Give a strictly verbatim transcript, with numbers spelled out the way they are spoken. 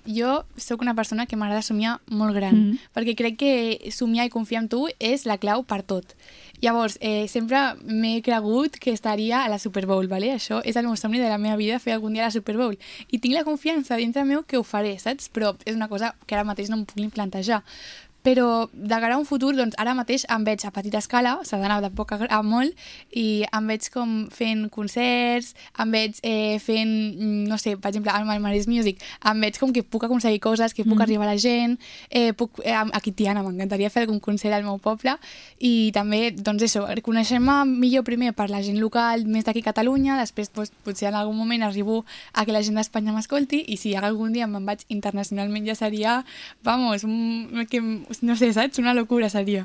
jo sóc una persona que m'agrada somiar molt gran, mm -hmm. perquè crec que somiar i confiar en tu és la clau per tot. Llavors, eh, sempre m'he cregut que estaria a la Super Bowl, ¿vale? Això és el meu somni de la meva vida, fer algun dia a la Super Bowl. I tinc la confiança dintre meu que ho faré, saps? Però és una cosa que ara mateix no em puc ni plantejar. Però de cara a un futur, doncs ara mateix em veig a petita escala, s'ha d'anar de poc a molt, i em veig com fent concerts, em veig eh, fent, no sé, per exemple, al Malmarès Music, em veig com que puc aconseguir coses, que puc mm. arribar a la gent, eh, puc, eh, aquí Tiana, m'encantaria fer algun concert al meu poble, i també, doncs això, conèixer-me millor primer per la gent local, més d'aquí a Catalunya, després doncs, potser en algun moment arribo a que la gent d'Espanya m'escolti, i si algun dia me'n vaig internacionalment ja seria, vamos, un, que no sé, saps? Una locura seria.